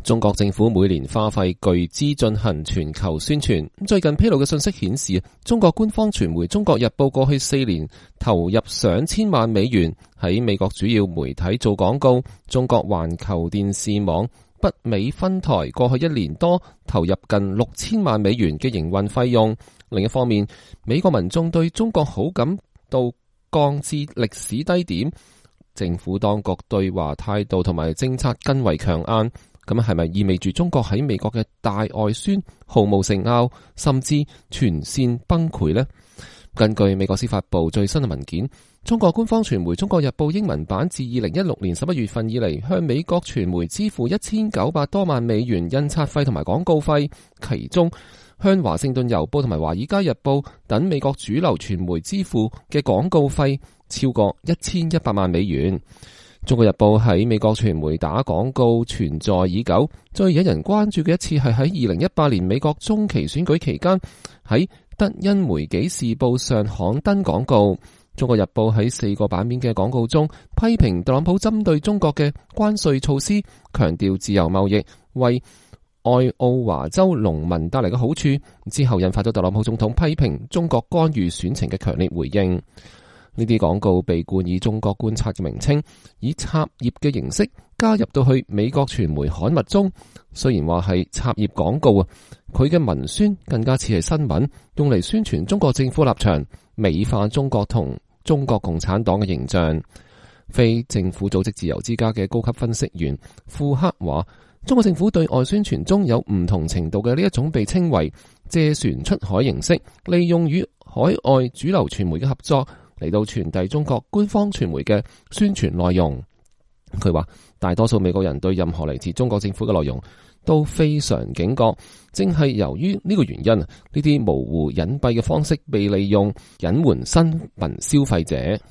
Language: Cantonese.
中國政府每年花費巨資進行全球宣傳。最近披露嘅信息顯示，中國官方傳媒《中國日報》過去4年投入上千萬美元喺美國主要媒體做廣告。中國環球電視網北美分台過去1年多投入近6000萬美元嘅營運費用。另一方面，美國民眾對中國好感度降至歷史低點，政府當局對華態度同埋政策更為強硬。咁係咪意味住中國喺美國嘅大外宣毫無成效，甚至全線崩潰呢？根據美國司法部最新嘅文件，中國官方傳媒《中國日報》英文版自2016年11月份以嚟，向美國傳媒支付1900多萬美元印刷費同埋廣告費，其中向華盛頓郵報同埋華爾街日報等美國主流傳媒支付嘅廣告費超過1100萬美元。中國日報喺美國傳媒打廣告存在已久，最引人關注嘅一次係喺2018年美國中期選舉期間，喺德恩梅紀時報上刊登廣告。中國日報喺4個版面嘅廣告中批評特朗普針對中國嘅關稅措施，強調自由貿易為愛奧華州農民帶嚟嘅好處，之後引發咗特朗普總統批評中國干預選情嘅強烈回應。呢啲廣告被冠以中國觀察嘅名稱，以插頁嘅形式加入到去美國傳媒刊物中。雖然話係插頁廣告啊，佢嘅文宣更加似係新聞，用嚟宣傳中國政府立場，美化中國同中國共產黨嘅形象。非政府組織自由之家嘅高級分析員庫克話，中國政府對外宣傳中有唔同程度嘅呢一種被稱為借船出海形式，利用與海外主流傳媒嘅合作嚟到傳遞中國官方傳媒嘅宣傳內容。佢話大多數美國人對任何嚟自中國政府嘅內容都非常警覺，正係由於呢個原因，呢啲模糊隱蔽嘅方式被利用隱瞞新聞消費者。